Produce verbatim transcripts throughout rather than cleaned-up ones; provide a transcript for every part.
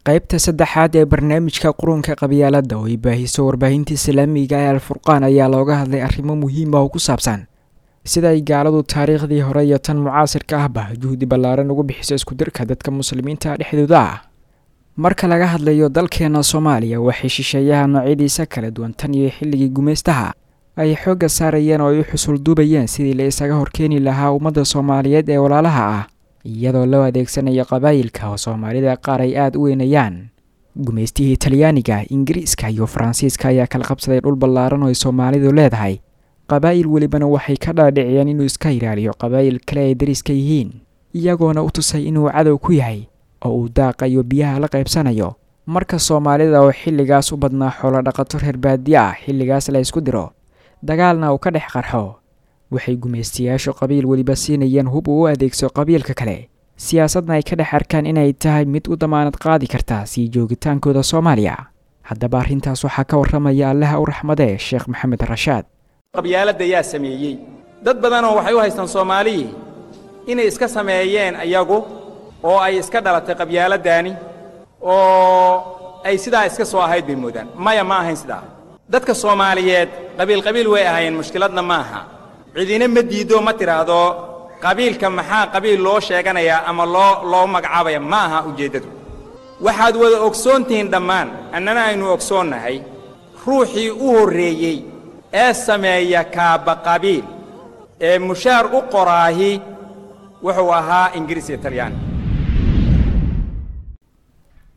Qaybta saddexaad ee barnaamijka Qurunka Qabyaaladda oo ay baahiso warbaahinta islaamiga ee Alfurqaan ayaa looga hadlay arrimo muhiim ah oo ku saabsan sida ay gaaladu taariikhdii hore iyo tan mucaasirka ahba juhdi ballaaran ugu bixiso iskudirka dadka muslimiinta dhexdooda ah. Marka laga hadlayo dalkeena Soomaaliya, waxay shisheeyaha noocyadiisa kala duwan tan iyo xilligii gumaystaha ay xoogga saarayeen oo ay u xusul duubayeen sidii la isaga horkeeni lahaa ummadda Soomaaliyeed ee walaalaha ah, iyadoo loo adeegsanayo qabaayilka oo Soomaalida qaar ay aada u weynayaan. Gumaystihii Talyaaniga, Ingiriiska iyo Faransiiska ayaa kala qabsaday dhul ballaaran oo ay Soomaalidu leedahay. Qabaa'il welibana waxay ka dhaadhiciyeen inuu iska ilaaliyo qabaa'il kale ay dariska yihiin, iyagoona u tusay inuu cadow ku yahay oo uu daaqa iyo biyaha la qaybsanayo. Marka Soomaalida oo xilligaas u badnaa xoolo dhaqato reer baadiye ah, xilligaas la isku diro dagaalna uu ka dhex qarxo, waxay gumaystayaashu qabiil weliba siinayeen hub uu u adeegso qabiilka kale, siyaasadna ay ka dhex arkaan inay tahay mid u damaanad qaadi karta sii joogitaankooda Soomaaliya. Haddaba arrintaas waxaa ka warramaya, Allaha u raxmadee, Sheekh Maxamed Rashaad. Qabyaaladda yaa sameeyey? Dad badanoo waxay u haystaan Soomaalihii inay iska sameeyeen ayagu oo ay iska dhalatay qabyaaladdaani oo ay sidaa iska soo ahayd bay moodaan. Maya, ma ahayn sidaa. Dadka Soomaaliyeed qabiil qabiil way ahaayeen, mushkiladna ma aha. Cidina ma diiddo, ma tidhaahdo qabiilka maxaa qabiil loo sheeganayaa ama loo loo magacaabaya. Ma aha ujeeddadu. Waxaad wada ogsoon tihiin dhammaan, annana aynu ogsoonnahay, ruuxii u horreeyey ee sameeya kaaba qabiil ee mushaar u qoraahi wuxuu ahaa Ingiriis iyo Talyaani.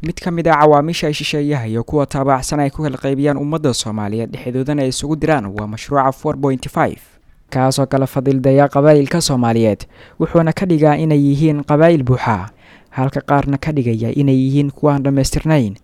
Mid ka mid ah cawaamisha ay shisheeyaha iyo kuwa taabacsan ay ku kala qaybiyaan ummadda Soomaaliyeed, dhexdoodana ay isugu diraan, waa mashruuca four point five, kaasoo kala fadildaya qabaa'ilka Soomaaliyeed, wuxuuna ka dhigaa inay yihiin qabaa'il buuxa, halka qaarna ka dhigaya inay yihiin kuwaan dhammaystirnayn.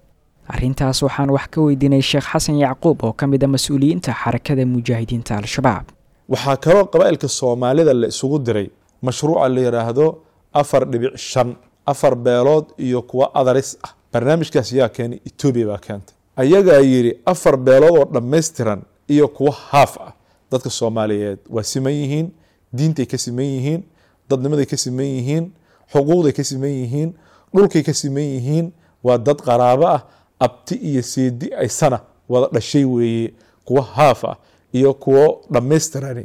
Arrintaas waxaan wax ka weydiinay Sheekh Xasan Yacquub oo ka mid ah mas-uuliyiinta Xarakada Mujaahidiinta Al-Shabaab. Waxaa kaloo qabaa'ilka Soomaalida la isugu diray mashruuca la yidhaahdo afar dhibic shan, afar beelood iyo kuwa adaris ah. Barnaamijkaas yaa keenay? Etoobiya baa keentay. Ayagaa yidhi afar beelood oo dhammaystiran iyo kuwa haaf ah. Dadka Soomaaliyeed waa siman yihiin, diintay ka siman yihiin, dadnimaday ka siman yihiin, xuquuqday ka siman yihiin, dhulkay ka siman yihiin. Waa dad qaraabo ah, abti iyo seedi aysana wada dhashay weeye. Kuwa haaf ah iyo kuwo dhammaystirani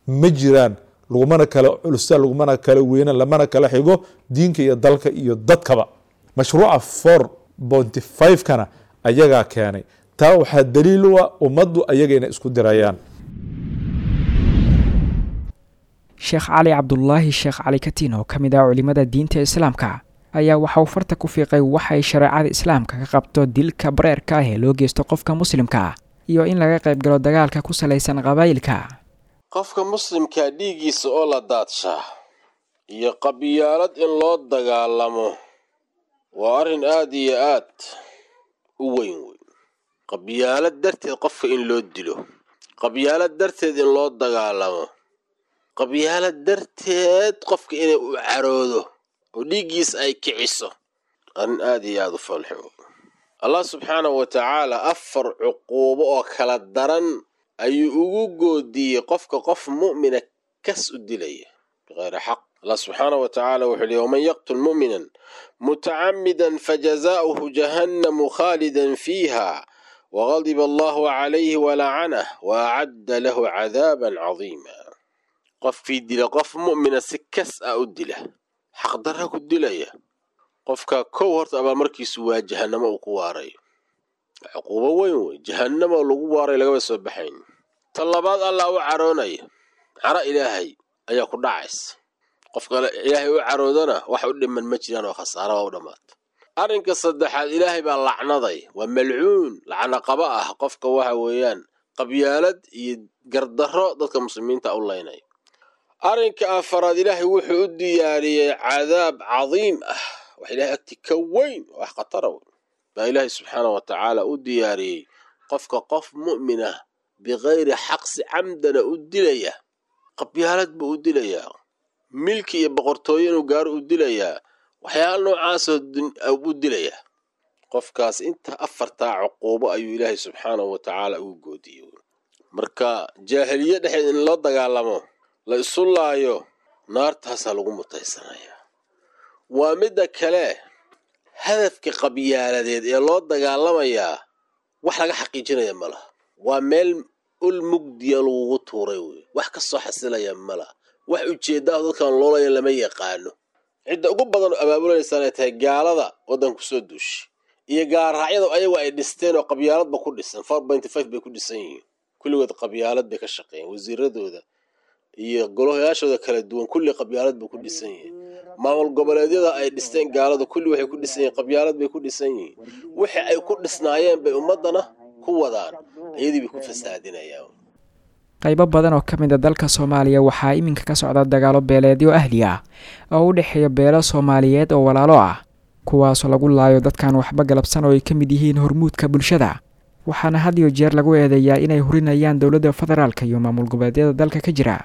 ma jiraan, lagumana kala culusa, lagumana kala weyna, lamana kala xigo diinka iyo dalka iyo dadkaba. Mashruuca four point five kana ayagaa keenay. Taa waxaa daliil u ah ummaddu ayagayna isku dirayaan. Sheekh Cali Cabdulaahi Sheekh Cali Katiin oo ka mid ah culimada diinta islaamka ayaa waxa uu farta ku fiiqay waxay shareecada islaamka ka qabto dilka bareerka ah ee loo geysto qofka muslimka ah iyo in laga qayb galo dagaalka ku salaysan qabaa'ilka. Qofka muslimkaa dhiiggiisa oo la daadshaa iyo qabyaalad in loo dagaalamo waa arrin aad iyo aad u weyn weyn. Qabyaalad darteed qofka in loo dilo, qabyaalad darteed in loo dagaalamo, qabyaalad darteed qofka inay u caroodo oo dhiiggiisa ay kiciso, arrin aad iyo aad u foolxun wey. Allah subxaanahu wa tacaala afar cuquubo oo kala daran ayuu ugu goodiyey qofka qof mu'mina kas u dilaya bikayri xaq. Allah subxaanahu wa tacaala wuxuu leeyay: "Waman yaqtul mu'minan mutacammidan fajazaa'uhu jahannamu khaalidan fiiha waqadiba allahu calayhi walacanah waacadda lahu cadaaban cadiima." Qofkii dila qof mu'mina, si kas ah u dila, xaqdarra ku dilaya, qofka kow horta abaalmarkiisu waa jahannamo uu ku waarayo. Cuquubo weyn wey, jahannamo lagu waaray, lagama soo baxayn. Ta labaad, Allah u caroonaya, caro Ilaahay ayaa ku dhacaysa. Qofka Ilaahay u caroodana wax u dhiman ma jiraan oo khasaara waa u dhammaata. Arrinka saddexaad, Ilaahay baa lacnaday, waa malcuun, lacno qaba ah qofka waxa weeyaan qabyaalad iyo gardarro dadka muslimiinta u laynaya. Arrinka afaraad, Ilaahay wuxuu u diyaariyey cadaab cadiim ah, wax Ilahay agti ka weyn, wax khatara weyn baa Ilaahay subxaana wa tacaala u diyaariyey qofka qof mu'min ah bikayri xaq si camdana u dilaya. Qabyaalad buu u dilayaa, milki iyo boqortooyo inuu gaaro u dilayaa, waxyaala noocaasoo u dilayaa. Qofkaas inta afartaa cuquubo ayuu Ilaahay subxaanahu wa tacaala ugu goodiyey. Marka jaahiliye dhexeed in la dagaalamo, la isu laayo, naartaasaa lagu mutaysanayaa. Waa midda kale. Hadafka qabyaaladeed ee loo dagaalamayaa wax laga xaqiijinaya ma laha. Waa meel ul mugdiya lagugu tuuray wey, wax ka soo xasilaya ma laha, wax ujeeddaah dadkan loolaya lama yaqaano. Cidda ugu badan oo abaabulanaysan ay tahay gaalada waddanka kusoo duushay iyo gaalraacyada ayagu ay dhisteen oo qabyaaladba ku dhisan. Four pointy five bay ku dhisan yihiin kulligood, qabyaalad bay ka shaqeeyeen. Wasiiradooda iyo golayaashooda kala duwan kulli qabyaalad bay ku dhisan yihiin. Maamul goboleedyada ay dhisteen gaaladu kulli waxay ku dhisan yihiin qabyaalad bay ku dhisan yihiin. Wixii ay ku dhisnaayeen bay ummaddana ku wadaan, iyadii bay ku fasaadinayaan. Qaybo badan oo ka mid a dalka Soomaaliya waxaa iminka ka socda dagaalo beeleedyo ahli ah oo u dhexeeya beelo Soomaaliyeed oo walaalo ah, kuwaasoo lagu laayo dadkan waxba galabsan oo ay ka mid yihiin hormuudka bulshada, waxaana had iyo jeer lagu eedeeyaa inay hurinayaan dowladda federaalka iyo maamul goboleedyada dalka ka jira.